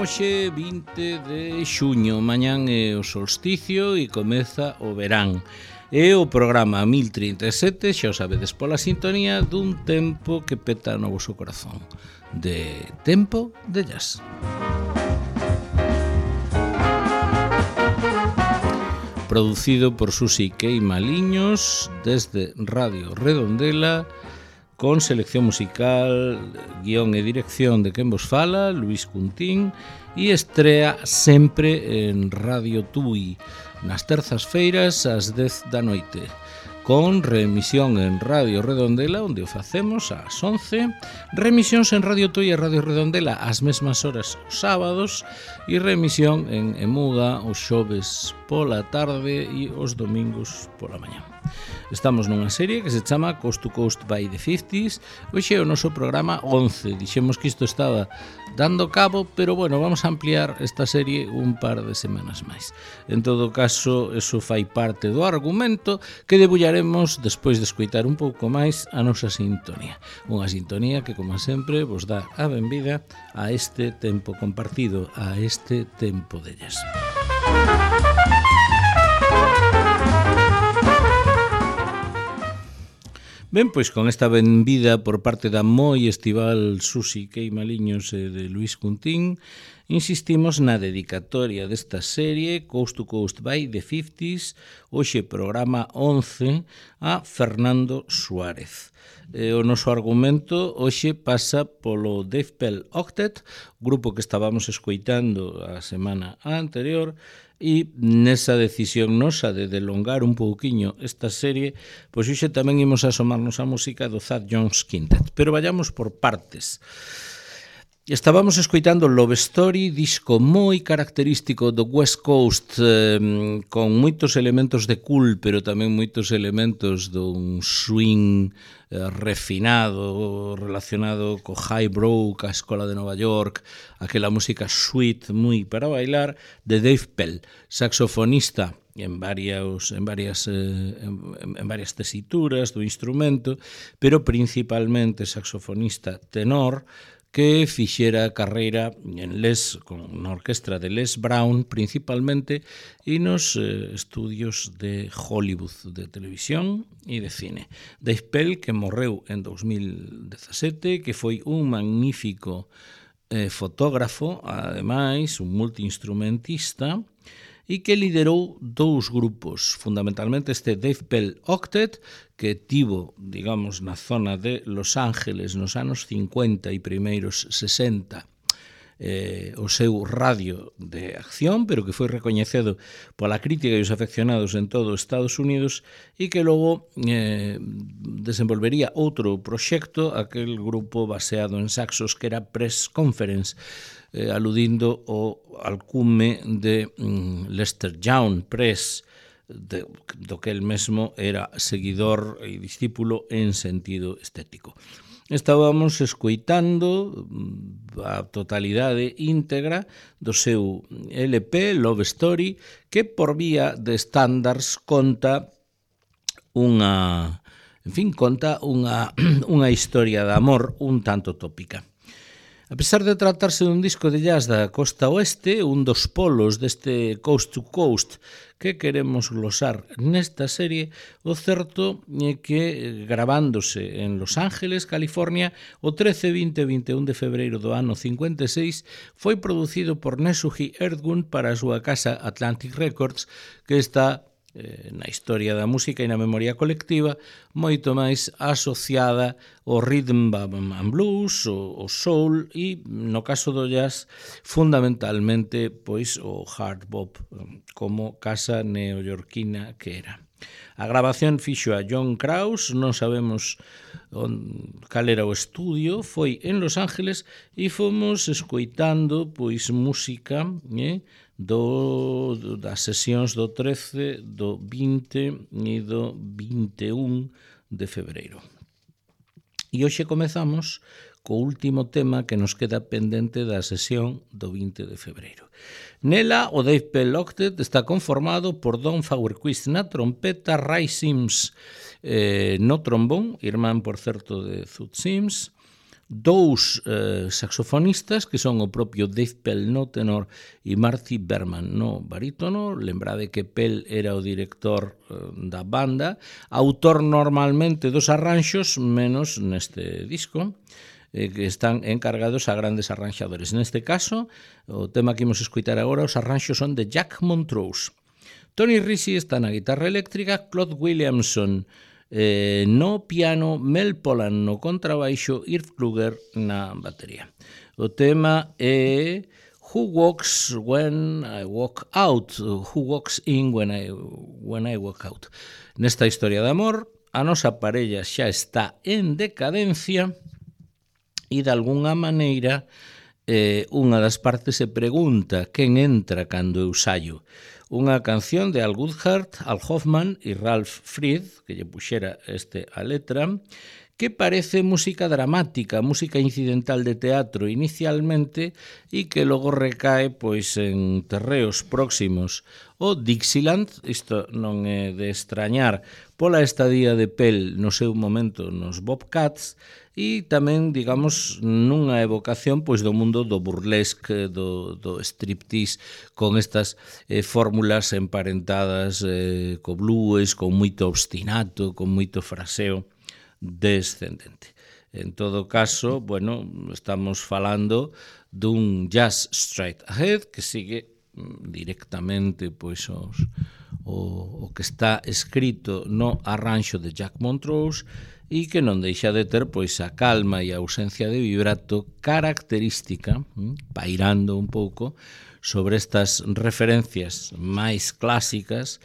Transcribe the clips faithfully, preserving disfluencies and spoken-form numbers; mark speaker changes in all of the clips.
Speaker 1: hoxe vinte de xuño, mañán é o solsticio e comeza o verán. É o programa mil trinta e sete, xa o sabedes pola sintonía dun tempo que peta no voso corazón. De Tempo de Jazz. Producido por Susi Queimaliños desde Radio Redondela, con selección musical, guión e dirección de quen vos fala, Luis Cuntín, e estrea sempre en Radio Tui, nas terzas feiras ás dez da noite, con reemisión en Radio Redondela, onde o facemos ás once, reemisións en Radio Tui e Radio Redondela ás mesmas horas os sábados, e reemisión en Emuga os xoves pola tarde e os domingos pola mañá. Estamos nunha serie que se chama Coast to Coast by the fifties. Hoxe é o noso programa once. Dixemos que isto estaba dando cabo, pero bueno, vamos a ampliar esta serie un par de semanas máis. En todo caso, eso fai parte do argumento que debullaremos despois de escoitar un pouco máis a nosa sintonía. Unha sintonía que, como sempre, vos dá a benvida a este tempo compartido, a este tempo de jazz. Ben, pois con esta benvida por parte da moi estival Susi Queimaliños e de Luis Cuntín, insistimos na dedicatoria desta serie Coast to Coast by the fifties, hoxe programa once, a Fernando Suárez. E o noso argumento hoxe pasa polo Dave Pell Octet, grupo que estábamos escoitando a semana anterior, e nesa decisión nosa de delongar un pouquiño esta serie, pois hoxe tamén imos asomarnos a música do Thad Jones Quintet, pero vayamos por partes. Estábamos escoitando Love Story, disco moi característico do West Coast, eh, con moitos elementos de cool, pero tamén moitos elementos dun swing eh, refinado, relacionado co highbrow, ca escola de Nova York, aquela música sweet, moi para bailar, de Dave Pell, saxofonista en varias, en varias, eh, en, en varias tesituras do instrumento, pero principalmente saxofonista tenor, que fixera carreira en Les, con na orquestra de Les Brown principalmente, e nos eh, estudios de Hollywood, de televisión e de cine. Dave Pell, que morreu en dos mil dezasete, que foi un magnífico eh, fotógrafo, ademais, un multiinstrumentista, e que liderou dous grupos, fundamentalmente este Dave Pell Octet, que tivo, digamos, na zona de Los Ángeles nos anos cincuenta e primeiros sesenta eh, o seu radio de acción, pero que foi recoñecido pola crítica e os afeccionados en todo os Estados Unidos, e que logo eh, desenvolvería outro proxecto, aquel grupo baseado en saxos que era Press Conference, eh, aludindo ao alcume de mm, Lester Young Press, de, do que el mesmo era seguidor e discípulo en sentido estético. Estábamos escoitando a totalidade íntegra do seu L P, Love Story, que por vía de estándares conta unha, en fin, conta unha, unha historia de amor un tanto tópica. A pesar de tratarse dun disco de jazz da costa oeste, un dos polos deste Coast to Coast que queremos glosar nesta serie, o certo é que, gravándose en Los Ángeles, California, o trece, vinte e vinte e un de febreiro do ano cincuenta e seis, foi producido por Nesuhi Erdgun para a súa casa Atlantic Records, que está eh, na historia da música e na memoria colectiva moito máis asociada ao rhythm and blues, o, o soul e, no caso do jazz, fundamentalmente pois o hard bop, como casa neoyorquina que era. A grabación fixo a John Krause, non sabemos on, cal era o estudio, foi en Los Ángeles e fomos escoitando pois música eh, do, das sesións do trece, do vinte e do vinte e un de febreiro. E hoxe comezamos co último tema que nos queda pendente da sesión do vinte de febreiro. Nela, o Dave Pell Octet está conformado por Don Fauerquist na trompeta, Ray Sims eh, no trombón, irmán, por certo, de Thud Sims, dous eh, saxofonistas que son o propio Dave Pell no tenor e Marty Berman no barítono. Lembrade que Pell era o director eh, da banda, autor normalmente dos arranxos, menos neste disco, eh, que están encargados a grandes arranxadores. Neste caso, o tema que imos escutar agora, os arranxos son de Jack Montrose. Tony Risi está na guitarra eléctrica, Claude Williamson eh, no piano, Mel Polan no contrabaixo, Irv Kluger na batería. O tema é Who Walks When I Walk Out, Who Walks In When I, when I Walk Out. Nesta historia de amor, a nosa parella xa está en decadencia e de algunha maneira eh, unha das partes se pregunta quen entra cando eu saio. Unha canción de Al Goodhart, Al Hoffman e Ralph Fried, que lle puxera este a letra, que parece música dramática, música incidental de teatro inicialmente e que logo recae pois en terreos próximos ao Dixieland. Isto non é de extrañar pola estadía de Pell no seu momento nos Bobcats e tamén, digamos, nunha evocación pois do mundo do burlesque, do, do striptease, con estas eh, fórmulas emparentadas eh, co blues, con moito obstinato, con moito fraseo descendente. En todo caso, bueno, estamos falando dun jazz straight ahead que sigue directamente pois os, o, o que está escrito no arranxo de Jack Montrose e que non deixa de ter pois a calma e a ausencia de vibrato característica, pairando un pouco sobre estas referencias máis clásicas,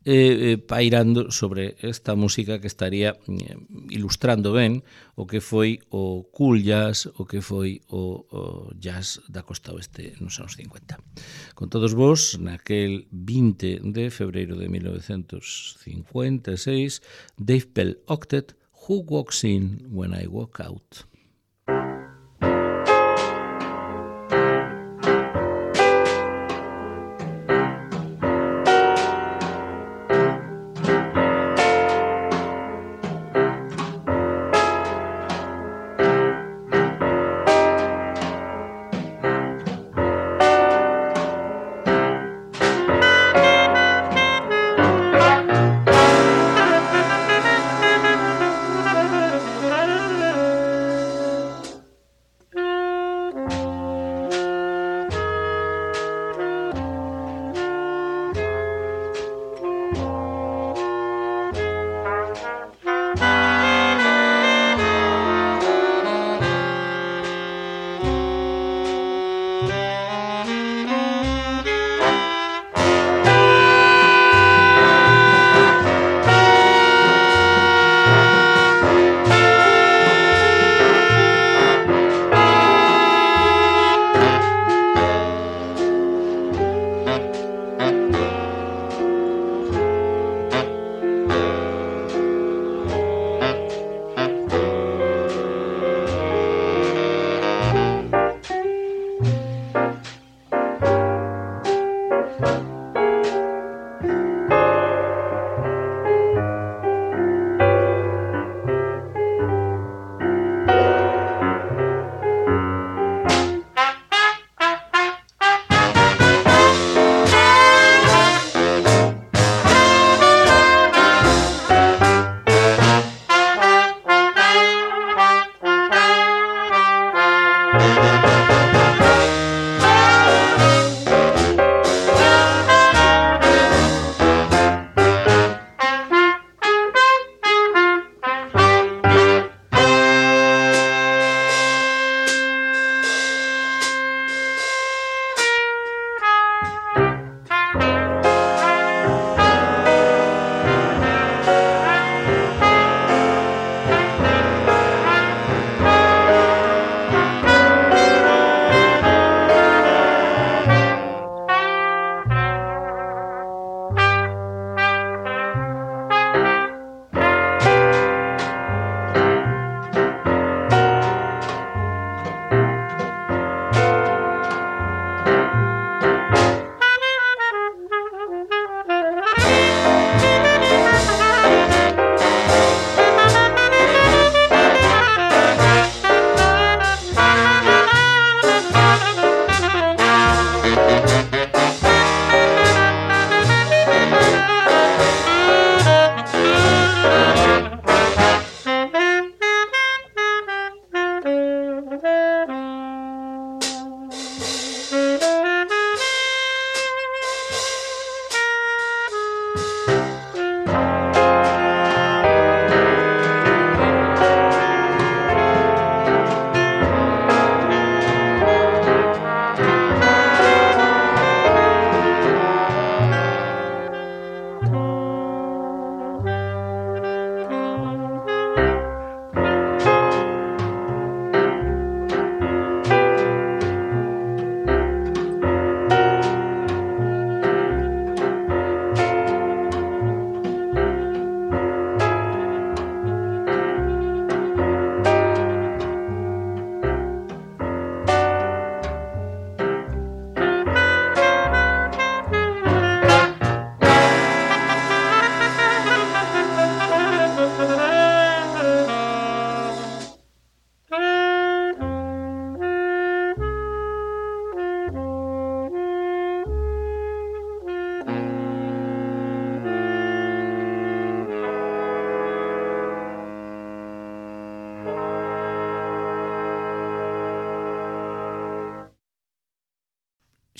Speaker 1: eh, eh, pairando sobre esta música que estaría eh, ilustrando ben o que foi o cool jazz, o que foi o, o jazz da costa oeste nos anos cincuenta. Con todos vos, naquel vinte de febreiro de mil novecentos cincuenta e seis, Dave Pell Octet, Who Walks In When I Walk Out.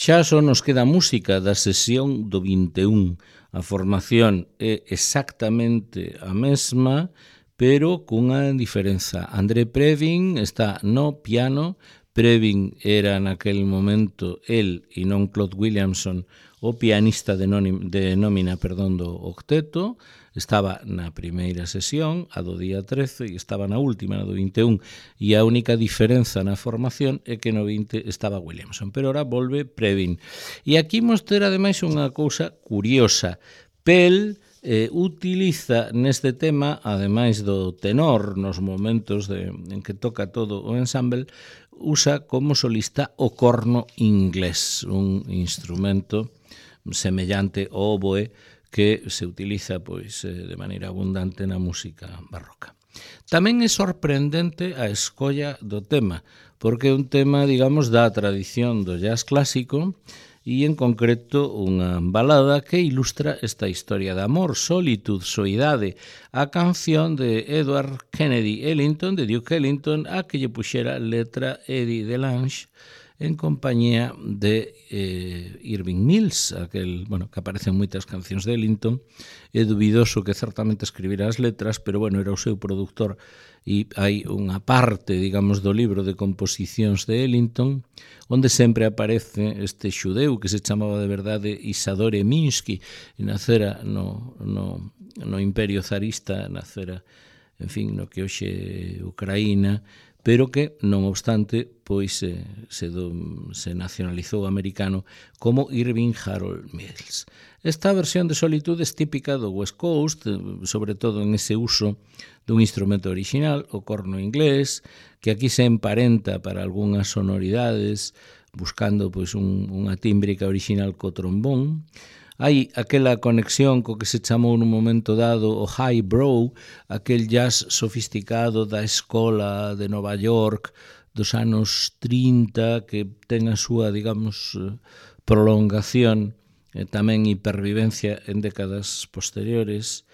Speaker 1: Xa só nos queda música da sesión do vinte e un. A formación é exactamente a mesma, pero cunha diferenza. André Previn está no piano. Previn era naquel momento el e non Claude Williamson o pianista de, nónima, de nómina perdón, do octeto. Estaba na primeira sesión, a do día trece, e estaba na última, na do vinte e un, e a única diferenza na formación é que no vinte estaba Williamson, pero ora volve Previn. E aquí imos ter ademais unha cousa curiosa. Pell eh, utiliza neste tema, ademais do tenor, nos momentos de, en que toca todo o ensemble, usa como solista o corno inglés, un instrumento semellante ao oboe que se utiliza pois de maneira abundante na música barroca. Tamén é sorprendente a escolla do tema, porque é un tema, digamos, da tradición do jazz clásico e, en concreto, unha balada que ilustra esta historia de amor, solitude, soidade, a canción de Edward Kennedy Ellington, de Duke Ellington, a que lle puxera letra Eddie DeLange, en compañía de eh, Irving Mills, aquel, bueno, que aparece en moitas cancións de Ellington. É dubidoso que certamente escribira as letras, pero bueno, era o seu produtor e hai unha parte, digamos, do libro de composicións de Ellington onde sempre aparece este xudeu que se chamaba de verdade Isadore Minsky e nacera no, no, no Imperio Zarista, nacera, en fin, no que hoxe Ucraína, pero que, non obstante, pois se, se, do, se nacionalizou americano como Irving Harold Mills. Esta versión de Solitude é típica do West Coast, sobre todo en ese uso dun instrumento original, o corno inglés, que aquí se emparenta para algunhas sonoridades, buscando pois un, unha tímbrica original co trombón. Hai aquela conexión co que se chamou nun momento dado o highbrow, aquel jazz sofisticado da escola de Nova York dos anos trinta, que ten a súa, digamos, prolongación e tamén hipervivencia en décadas posteriores.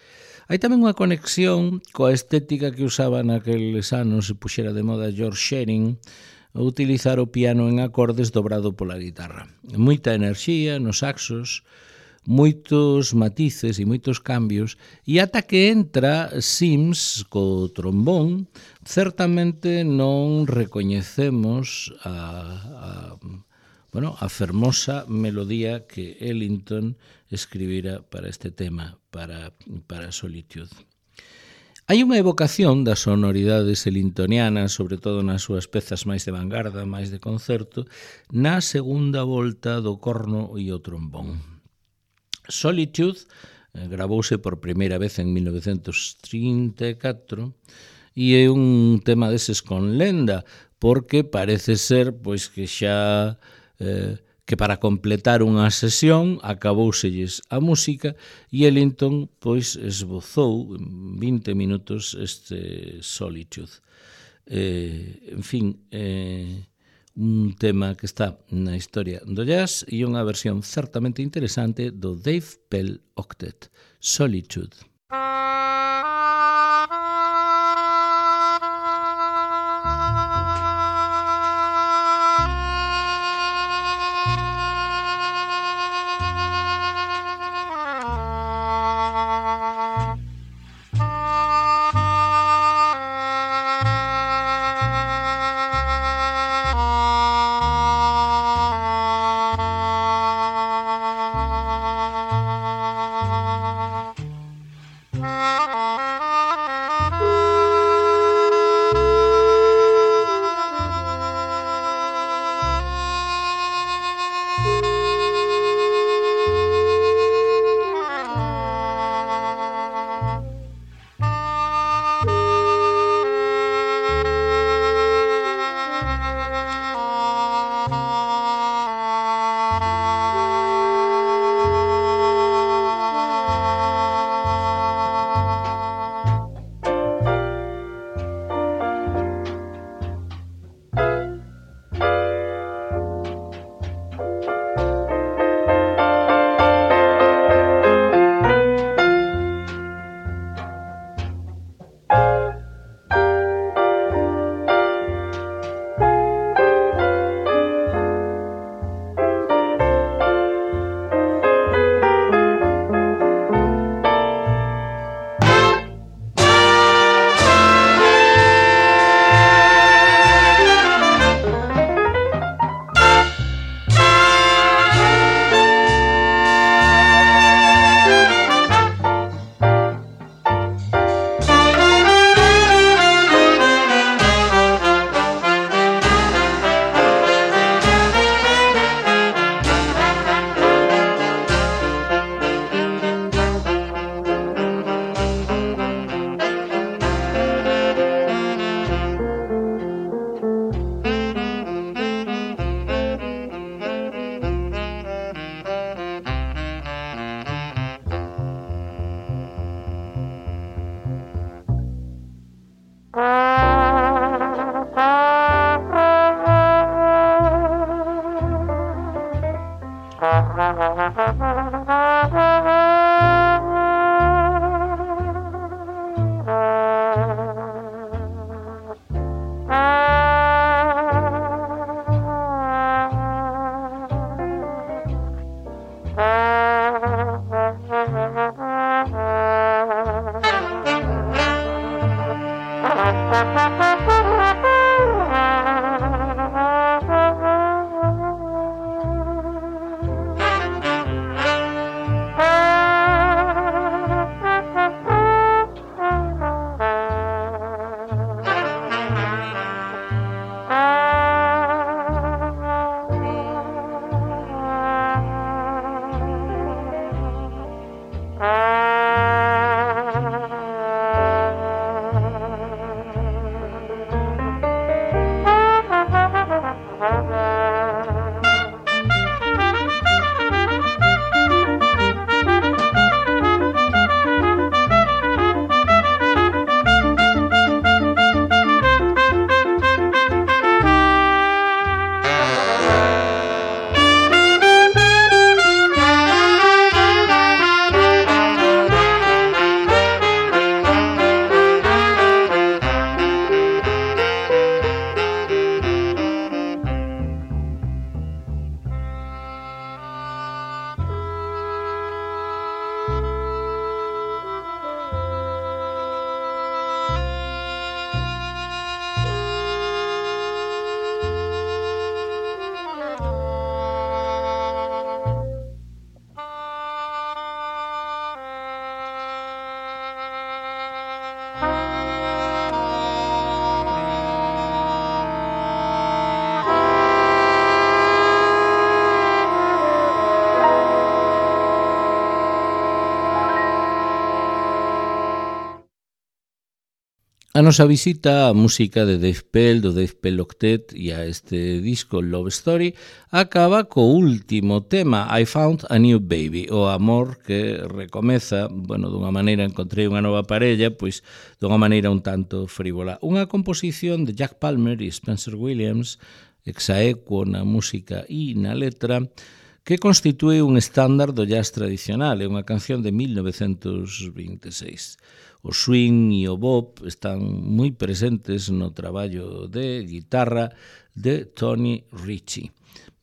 Speaker 1: Hai tamén unha conexión coa estética que usaba naqueles anos, se puxera de moda George Shearing, a utilizar o piano en acordes dobrado pola guitarra. Moita enerxía nos saxos, moitos matices e moitos cambios, e ata que entra Sims co trombón, certamente non recoñecemos a, a, bueno, a fermosa melodía que Ellington escribira para este tema, para, para Solitude. Hai unha evocación das sonoridades ellingtonianas, sobre todo nas súas pezas máis de vanguarda, máis de concerto, na segunda volta do corno e o trombón. Solitude eh, gravouse por primeira vez en mil novecentos trinta e catro e é un tema deses con lenda, porque parece ser pois que xa eh, que para completar unha sesión acabouselles a música e Ellington pois esbozou en vinte minutos este Solitude. Eh, en fin, eh, un tema que está na historia do jazz e unha versión certamente interesante do Dave Pell Octet, Solitude. A nosa visita á música de Dave Pell, do Dave Pell Octet e a este disco Love Story acaba co último tema, I Found a New Baby, o amor que recomeza, bueno, dunha maneira encontrei unha nova parella, pois dunha maneira un tanto frívola. Unha composición de Jack Palmer e Spencer Williams, exaequo na música e na letra, que constitúe un estándar do jazz tradicional, é unha canción de mil novecentos veintiséis. O swing e o bop están moi presentes no traballo de guitarra de Tony Ritchie.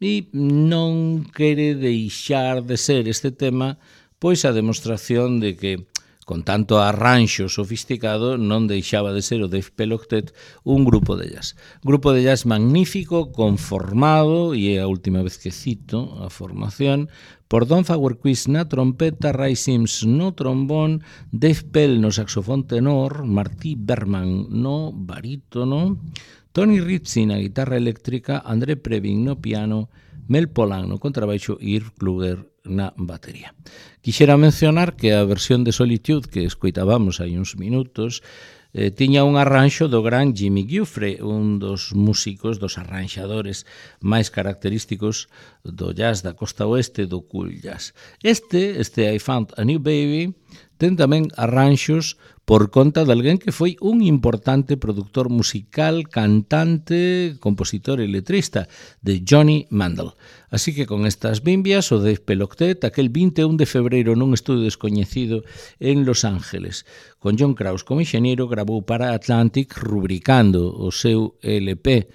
Speaker 1: E non quere deixar de ser este tema pois a demostración de que, con tanto arranxo sofisticado, non deixaba de ser o Dave Pell Octet un grupo de jazz. Grupo de jazz magnífico, conformado, e é a última vez que cito a formación, por Don Fagerquist na trompeta, Ray Sims no trombón, Dave Pell no saxofón tenor, Marty Berman no barítono, Tony Ritchie na guitarra eléctrica, André Previn no piano, Mel Polan no contrabaixo e Irv Kluger na batería. Quixera mencionar que a versión de Solitude que escoitábamos hai uns minutos eh, tiña un arranxo do gran Jimmy Giuffre, un dos músicos, dos arranxadores máis característicos do jazz da costa oeste do cool jazz. Este, este I Found a New Baby, ten tamén arranxos por conta de alguén que foi un importante productor musical, cantante, compositor e letrista, de Johnny Mandel. Así que con estas bimbias, o Dave Pell Octet, aquel vinte e un de febreiro nun estudio descoñecido en Los Ángeles, con John Krause como enxeñeiro, grabou para Atlantic, rubricando o seu L P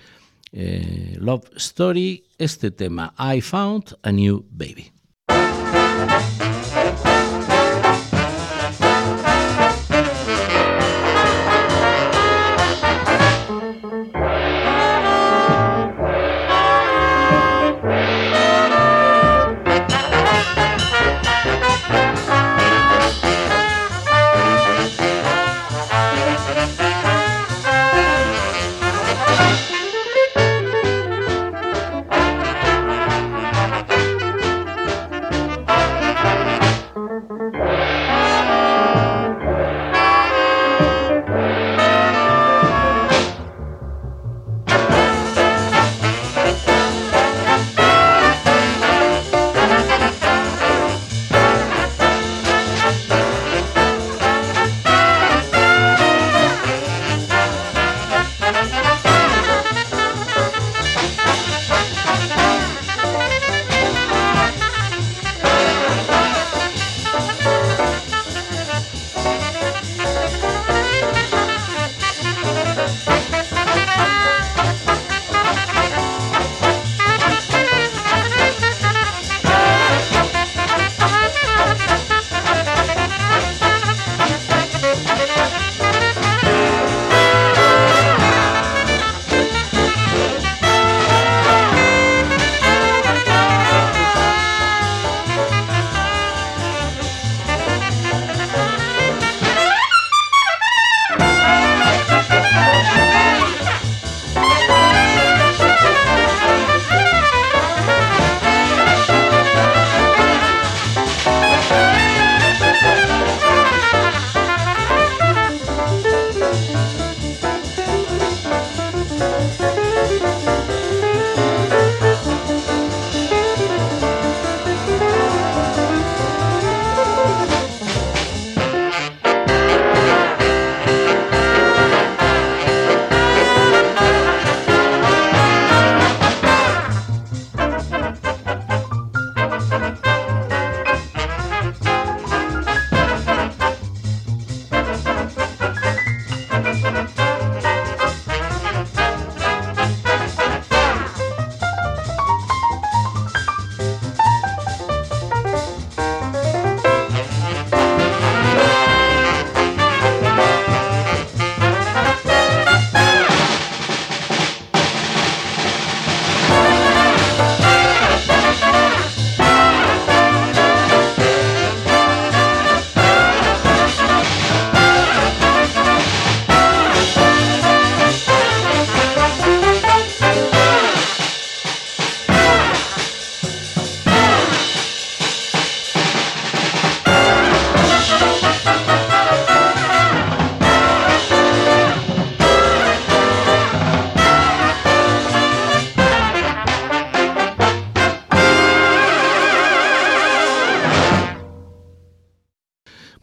Speaker 1: eh, Love Story, este tema, I Found a New Baby.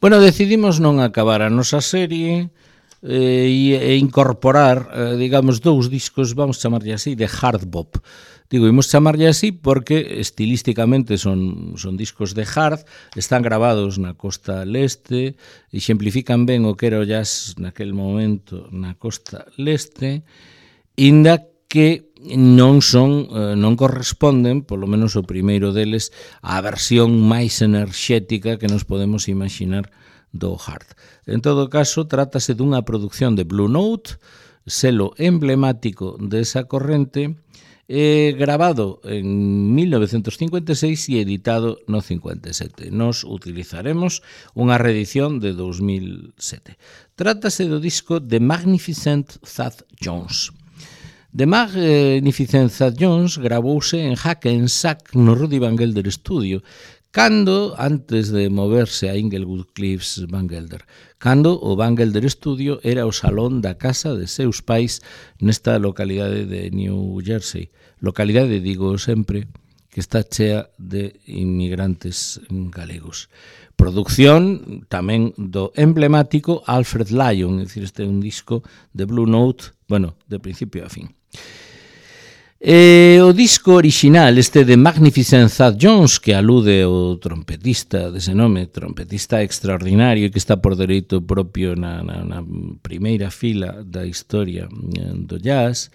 Speaker 1: Bueno, decidimos non acabar a nosa serie eh, e incorporar, eh, digamos, dous discos, vamos chamarlle así, de hard bop. Digo, imos chamarlle así porque estilísticamente son, son discos de hard, están gravados na costa leste, exemplifican ben o que era o jazz naquel momento na costa leste, inda que non son, non corresponden, polo menos o primeiro deles, á versión máis enerxética que nos podemos imaginar do hard. En todo caso, trátase dunha produción de Blue Note, selo emblemático desa corrente, eh, grabado en mil novecentos cincuenta e seis e editado no cincuenta e sete. Nos utilizaremos unha reedición de dos mil sete. Trátase do disco The Magnificent Thad Jones. The Magnificent Thad Jones gravouse en Hackensack no Rudy Van Gelder Studio, cando, antes de moverse a Inglewood Cliffs Van Gelder, cando o Van Gelder Studio era o salón da casa de seus pais nesta localidade de New Jersey. Localidade, digo sempre, que está chea de inmigrantes galegos. Producción tamén do emblemático Alfred Lyon, é dicir, este é un disco de Blue Note, bueno, de principio a fin. E o disco original, este de Magnificent Thad Jones, que alude ao trompetista dese nome, trompetista extraordinario que está por dereito propio na, na, na primeira fila da historia do jazz,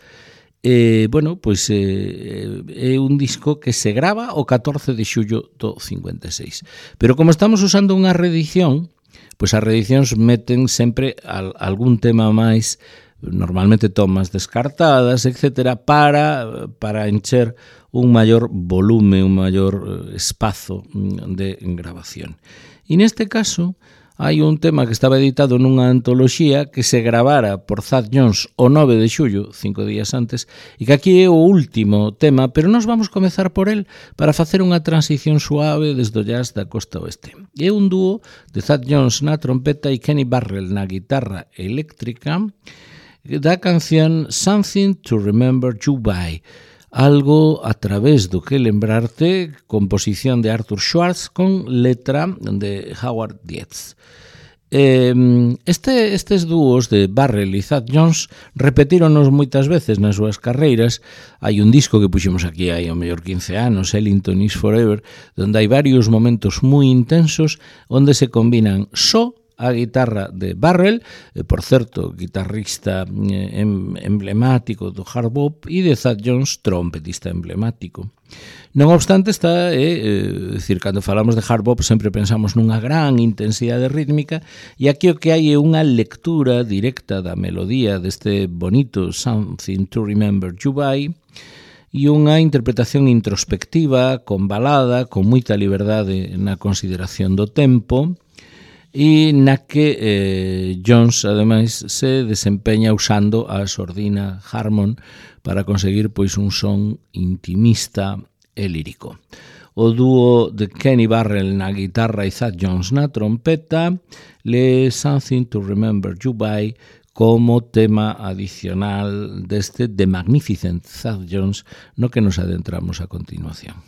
Speaker 1: eh, bueno, pois eh, é un disco que se grava o catorce de xullo do cincuenta e seis. Pero como estamos usando unha reedición, pois as reedicións meten sempre al, algún tema máis, normalmente tomas descartadas, etcétera, para, para encher un maior volume, un maior espazo de grabación. E neste caso, hai un tema que estaba editado nunha antoloxía que se gravara por Thad Jones o nove de xullo, cinco días antes, e que aquí é o último tema, pero nós vamos comezar por el para facer unha transición suave desde o jazz da costa oeste. É un dúo de Thad Jones na trompeta e Kenny Burrell na guitarra eléctrica, da canción Something to Remember You By, algo a través do que lembrarte, composición de Arthur Schwartz con letra de Howard Dietz. Eh, este, estes dúos de Burrell e Thad Jones repetíronos moitas veces nas súas carreiras. Hai un disco que puxemos aquí hai ao mellor quince anos, Ellington is Forever, onde hai varios momentos moi intensos onde se combinan só a guitarra de Burrell, eh, por certo, guitarrista eh, emblemático do hard bop, e de Thad Jones, trompetista emblemático. Non obstante, está, eh, eh, decir, cando falamos de hard bop sempre pensamos nunha gran intensidade rítmica, e aquí o que hai é unha lectura directa da melodía deste bonito Something to Remember You By, e unha interpretación introspectiva, con balada, con moita liberdade na consideración do tempo, e na que eh, Jones, ademais, se desempeña usando a sordina Harmon para conseguir pois un son intimista e lírico. O dúo de Kenny Burrell na guitarra e Thad Jones na trompeta, le Something to Remember You By como tema adicional deste The Magnificent Thad Jones, no que nos adentramos a continuación.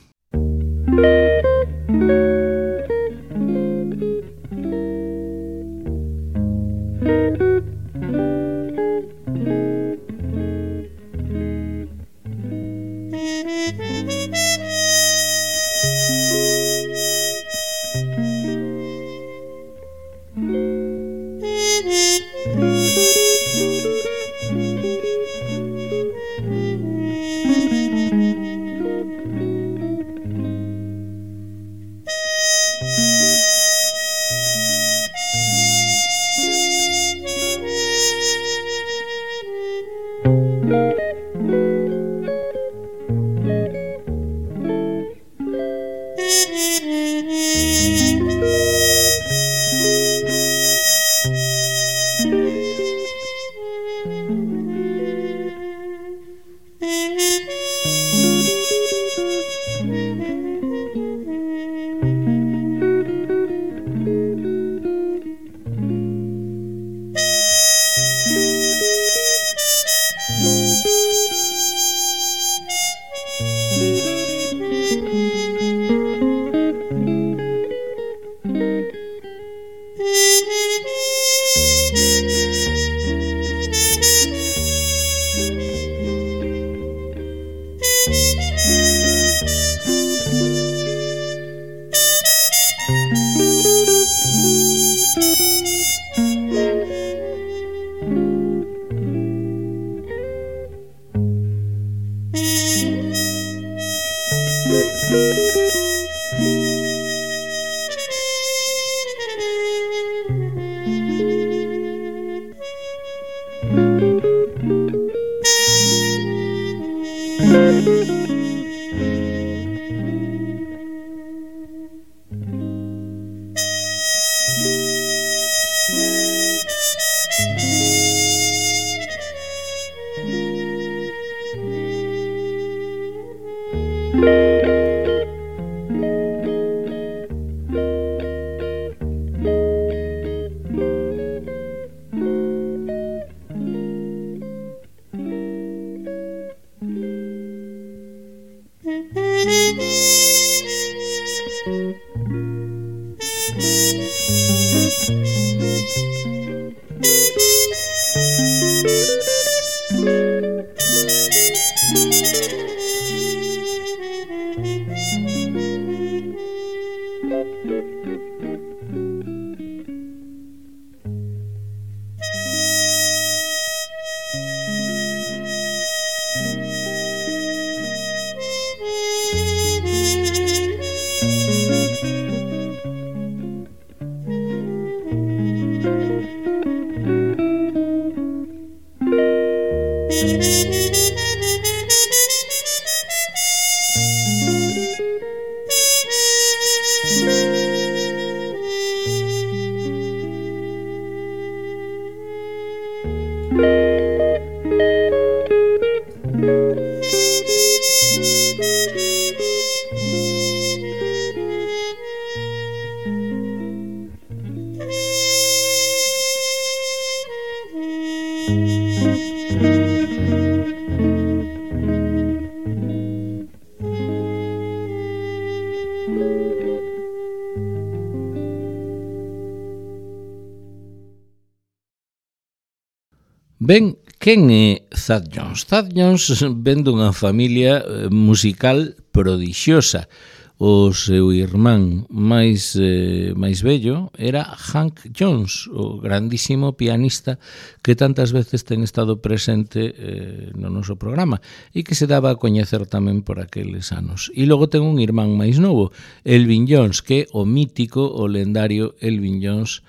Speaker 1: Ben, quen é Thad Jones? Thad Jones ven dunha familia musical prodixiosa. O seu irmán máis, eh, máis vello era Hank Jones, o grandísimo pianista que tantas veces ten estado presente eh, no noso programa e que se daba a coñecer tamén por aqueles anos. E logo ten un irmán máis novo, Elvin Jones, que é o mítico, o lendario Elvin Jones,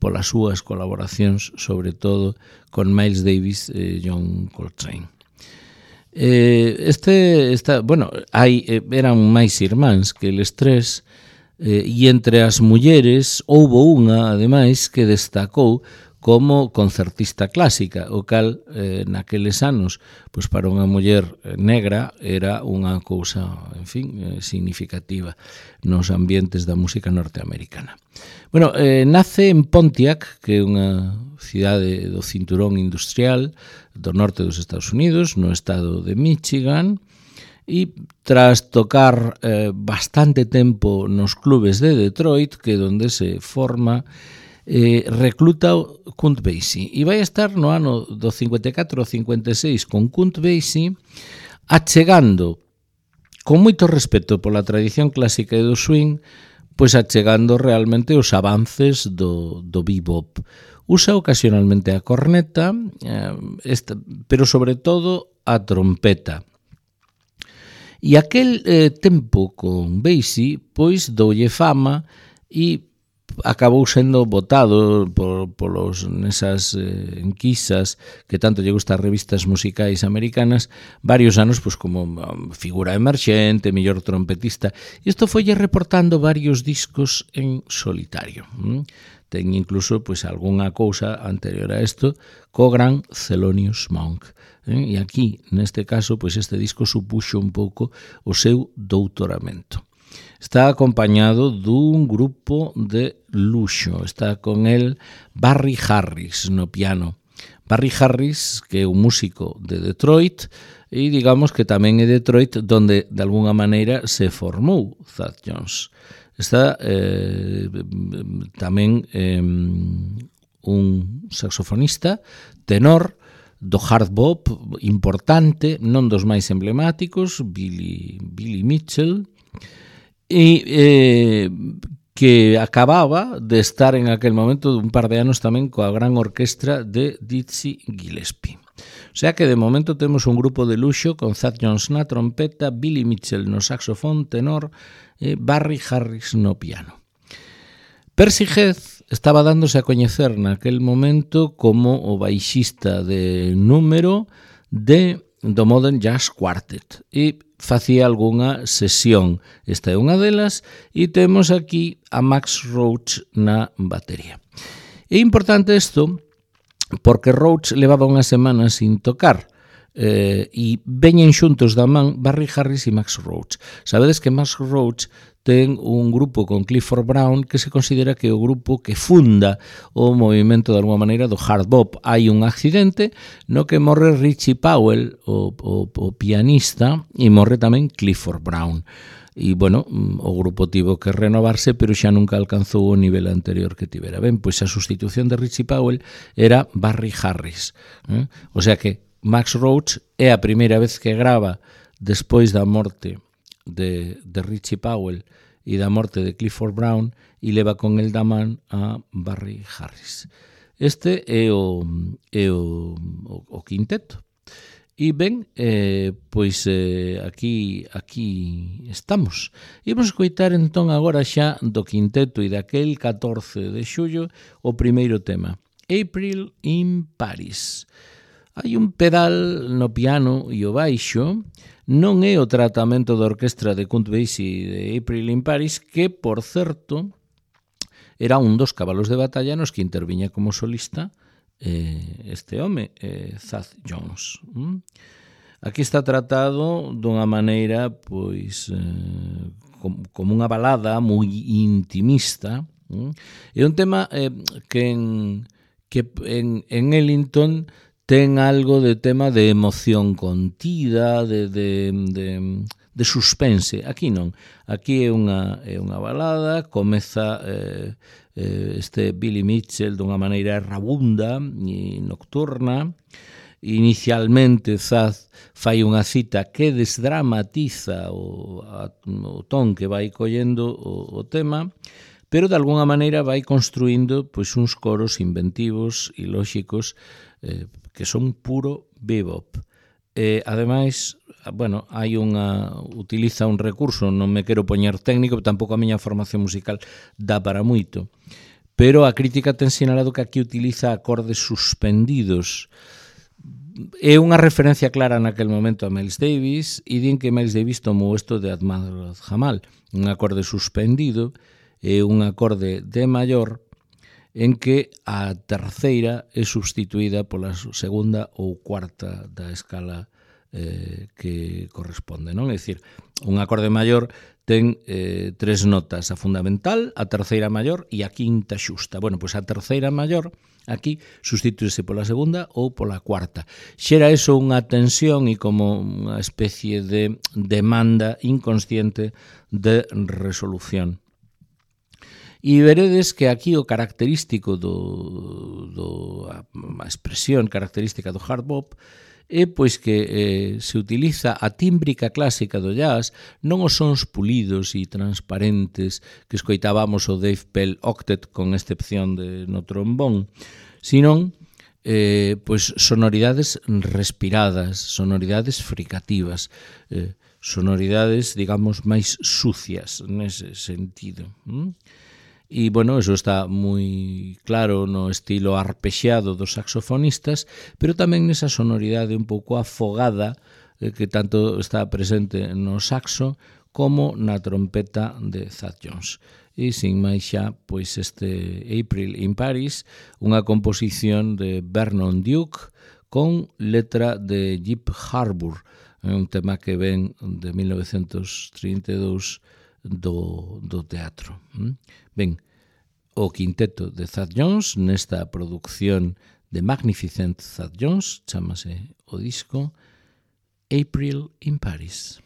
Speaker 1: polas súas colaboracións, sobre todo con Miles Davis e John Coltrane. Eh, este, esta, bueno, hai, eran máis irmáns que eles tres, eh, e entre as mulleres houbo unha, ademais, que destacou como concertista clásica, o cal eh, naqueles anos, pois para unha muller negra era unha cousa, en fin, eh, significativa nos ambientes da música norteamericana. Bueno, eh, nace en Pontiac, que é unha cidade do cinturón industrial do norte dos Estados Unidos, no estado de Michigan, e tras tocar eh, bastante tempo nos clubes de Detroit, que é onde se forma, eh, recluta Count Basie, e vai estar no ano do cincuenta e catro ao cincuenta e seis con Count Basie, achegando, con moito respeto pola tradición clásica e do swing, pois achegando realmente os avances do, do bebop. Usa ocasionalmente a corneta, eh, esta, pero sobre todo a trompeta. E aquel eh, tempo con Basie, pois doulle fama e acabou sendo votado por, polos nesas eh, enquisas que tanto lle gusta as revistas musicais americanas varios anos pois como um, figura emerxente, mellor trompetista, e isto foille reportando varios discos en solitario. ¿Mm? Ten incluso pois algunha cousa anterior a isto co gran Thelonious Monk. ¿Eh? E aquí, neste caso, pois este disco supuxo un pouco o seu doutoramento. Está acompañado dun grupo de luxo. Está con el Barry Harris no piano. Barry Harris, que é un músico de Detroit, e digamos que tamén é Detroit donde de alguna maneira se formou Thad Jones. Está eh, tamén eh, un saxofonista, tenor, do hard bop importante, non dos máis emblemáticos, Billy, Billy Mitchell, e eh, que acababa de estar en aquel momento un par de anos tamén coa gran orquestra de Dizzy Gillespie. O sea que de momento temos un grupo de luxo con Thad Jones na trompeta, Billy Mitchell no saxofón tenor e Barry Harris no piano. Percy Heath estaba dándose a coñecer naquel momento como o baixista de número de do Modern Jazz Quartet e facía algunha sesión. Esta é unha delas e temos aquí a Max Roach na batería. É importante isto porque Roach levaba unha semana sin tocar eh, e veñen xuntos da man Barry Harris e Max Roach. Sabedes que Max Roach ten un grupo con Clifford Brown que se considera que é o grupo que funda o movimento de alguma maneira do hard bop. Hai un accidente no que morre Richie Powell, o, o, o pianista, e morre tamén Clifford Brown. E, bueno, o grupo tivo que renovarse, pero xa nunca alcanzou o nivel anterior que tivera. Ben, pois a sustitución de Richie Powell era Barry Harris. Eh? O sea que Max Roach é a primeira vez que grava despois da morte de, de Richie Powell e da morte de Clifford Brown e leva con el da man a Barry Harris. Este é o, é o, o, o quinteto. E ben, eh, pois eh, aquí, aquí estamos. Imos escoitar entón agora xa do quinteto e daquel catorce de xullo o primeiro tema, April in Paris. Hai un pedal no piano e o baixo. Non é o tratamento da orquestra de Count Basie de April in Paris, que, por certo, era un dos cabalos de batalla nos que interviña como solista eh, este home, eh, Thad Jones. Mm? Aquí está tratado dunha maneira, pois, eh, como unha balada moi intimista. Mm? É un tema eh, que, en, que en, en Ellington ten algo de tema de emoción contida, de, de, de, de suspense. Aquí non. Aquí é unha, é unha balada, comeza eh, eh, este Billy Mitchell dunha maneira rabunda e nocturna. Inicialmente Thad fai unha cita que desdramatiza o, a, o ton que vai collendo o, o tema, pero de alguna maneira vai construindo pois, uns coros inventivos e lóxicos eh, que son puro bebop. Eh, ademais, bueno, hai unha utiliza un recurso, non me quero poñer técnico, tampouco a miña formación musical dá para moito, pero a crítica ten sinalado que aquí utiliza acordes suspendidos. É unha referencia clara naquel momento a Miles Davis e din que Miles Davis tomou isto de Ahmad Jamal, un acorde suspendido e un acorde de maior en que a terceira é substituída pola segunda ou cuarta da escala eh, que corresponde, non? É dicir, un acorde maior ten eh, tres notas, a fundamental, a terceira maior e a quinta xusta. Bueno, pois a terceira maior aquí substituíse pola segunda ou pola cuarta. Xera eso unha tensión e como unha especie de demanda inconsciente de resolución. E veredes que aquí o característico do, do a, a expresión característica do hard bop é pois que eh, se utiliza a tímbrica clásica do jazz, non os sons pulidos e transparentes que escoitábamos o Dave Pell Octet con excepción de no trombón, sino eh, pois sonoridades respiradas, sonoridades fricativas, eh, sonoridades, digamos, máis sucias nese sentido. ¿Mm? E, bueno, eso está moi claro no estilo arpexeado dos saxofonistas, pero tamén nesa sonoridade un pouco afogada eh, que tanto está presente no saxo como na trompeta de Thad Jones. E, sin máis xa, pois este April in Paris, unha composición de Vernon Duke con letra de Jeep Harbour, un tema que ven de mil novecentos trinta e dous do, do teatro. Ben, o quinteto de Thad Jones nesta produción de Magnificent Thad Jones, chámase o disco April in Paris.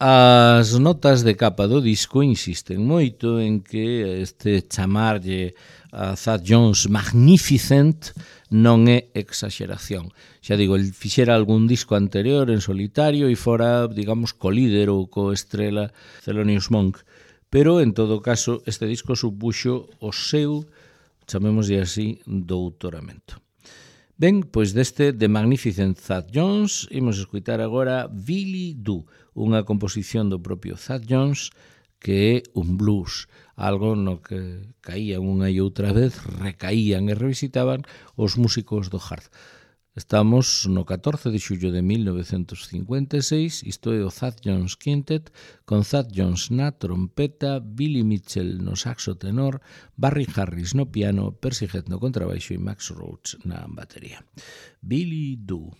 Speaker 1: As notas de capa do disco insisten moito en que este chamarlle a Thad Jones Magnificent non é exageración. Xa digo, el fixera algún disco anterior en solitario e fora, digamos, co-líder ou co-estrela Thelonious Monk. Pero, en todo caso, este disco supuxo o seu, chamémoslle así, doutoramento. Ben, pois deste The Magnificent Thad Jones imos escutar agora Billy Do, unha composición do propio Thad Jones que é un blues, algo no que caían unha e outra vez, recaían e revisitaban os músicos do hard. Estamos no catorce de xullo de mil novecentos cincuenta e seis, isto é o Thad Jones Quintet, con Thad Jones na trompeta, Billy Mitchell no saxo tenor, Barry Harris no piano, Percy Heath no contrabaixo e Max Roach na batería. Billy Do.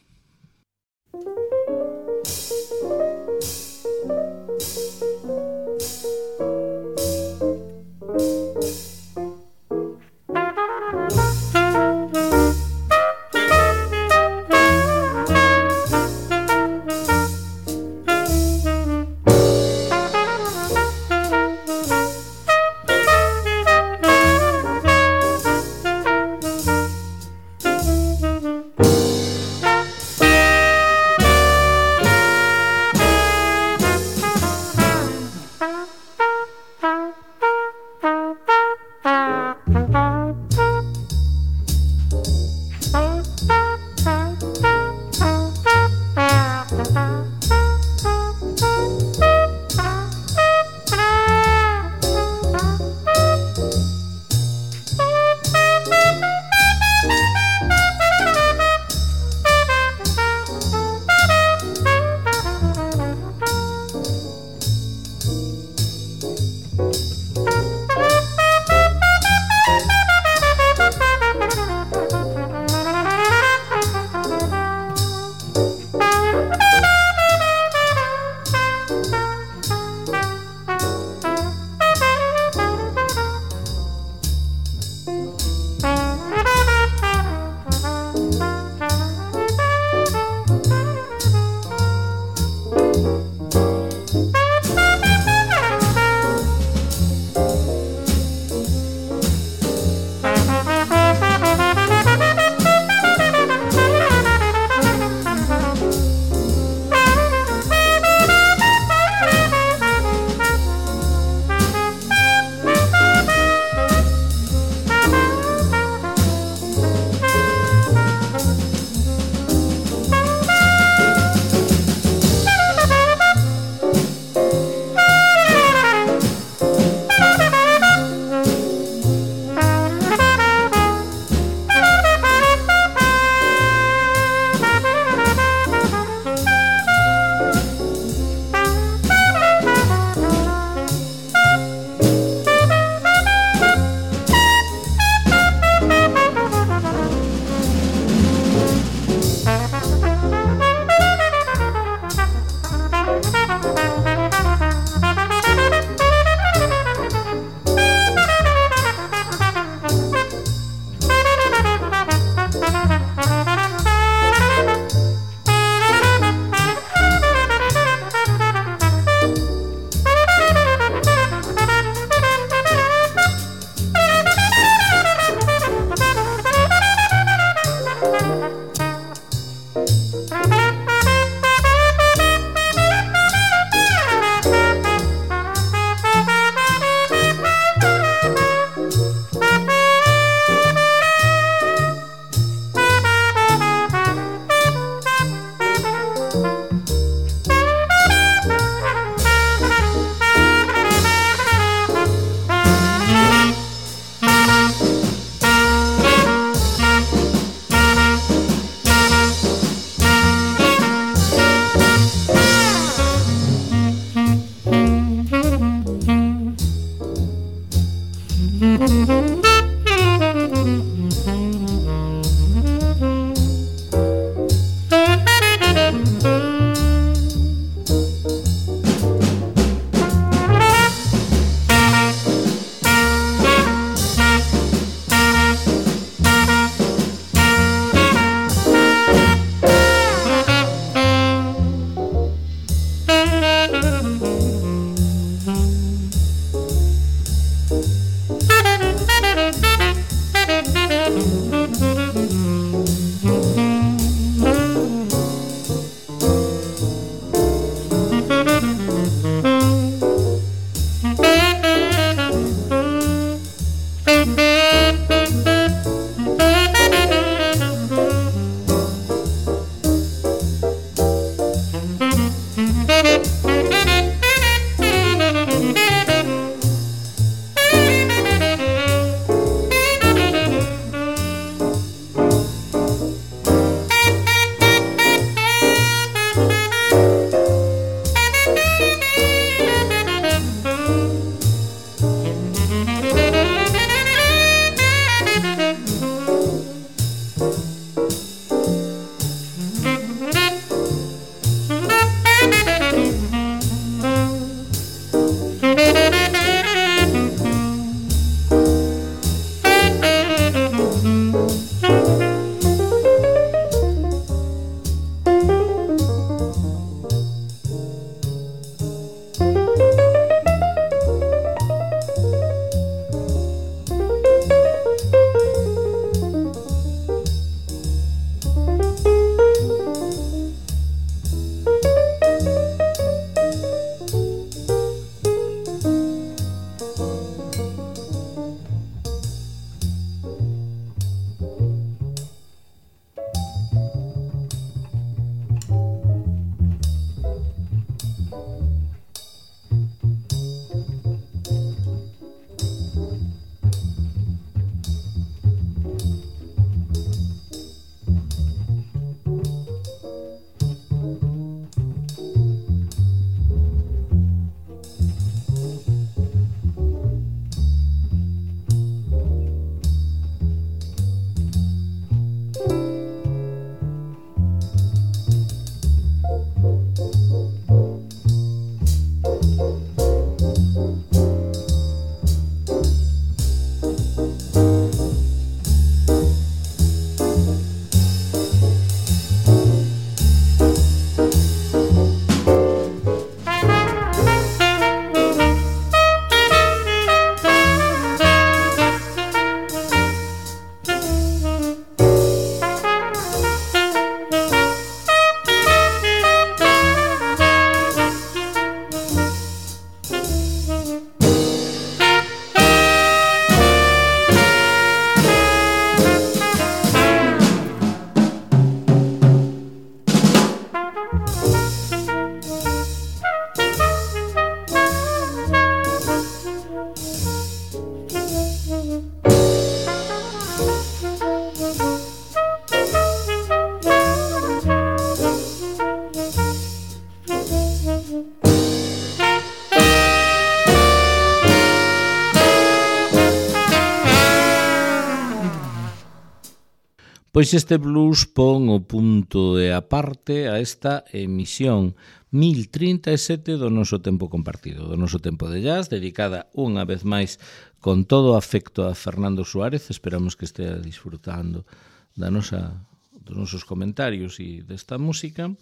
Speaker 1: Pois este blues pon o punto e aparte a esta emisión mil trinta e sete do noso tempo compartido, do noso tempo de jazz, dedicada unha vez máis con todo o afecto a Fernando Suárez. Esperamos que estea disfrutando da nosa, dos nosos comentarios e desta música.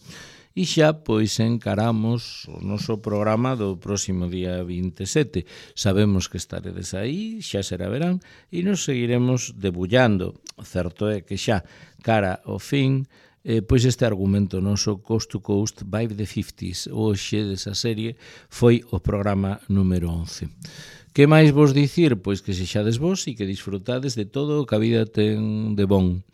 Speaker 1: E xa, pois, encaramos o noso programa do próximo día vinte e sete. Sabemos que estaredes aí, xa será verán, e nos seguiremos debullando. Certo é que xa, cara ao fin, eh, pois este argumento noso Coast to Coast by the fifties, hoxe desa serie, foi o programa número once. Que máis vos dicir? Pois que sexades vos e que disfrutades de todo o que a vida ten de bon.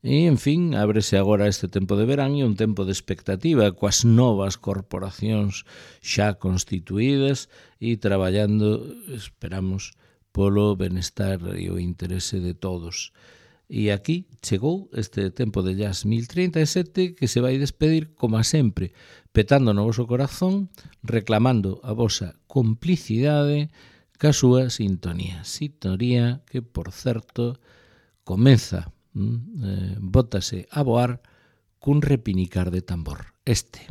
Speaker 1: E, en fin, ábrese agora este tempo de verán e un tempo de expectativa coas novas corporacións xa constituídas e traballando, esperamos, polo benestar e o interese de todos. E aquí chegou este tempo de jazz mil trinta e sete que se vai despedir, como a sempre, petando no voso corazón, reclamando a vosa complicidade ca súa sintonía. Sintonía que, por certo, comeza Eh, bótase a voar cun repinicar de tambor. Este.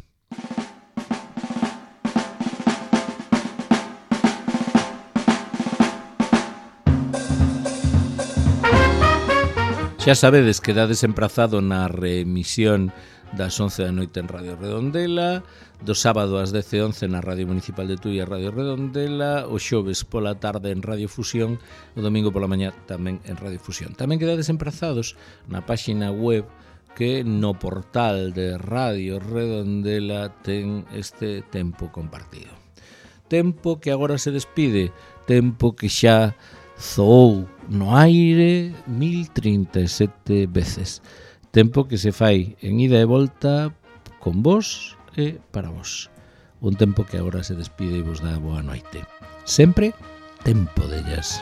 Speaker 1: Xa sabedes que dades emprazado na reemisión das once da noite en Radio Redondela, do sábado ás dez e once na Radio Municipal de Tui e Radio Redondela, o xoves pola tarde en Radio Fusión, o domingo pola mañá tamén en Radio Fusión. Tamén quedades emprazados na páxina web que no portal de Radio Redondela ten este tempo compartido. Tempo que agora se despide, tempo que xa zoou no aire mil trinta e sete veces. Tempo que se fai en ida e volta con vos e para vos. Un tempo que agora se despide e vos dá boa noite. Sempre tempo de jazz.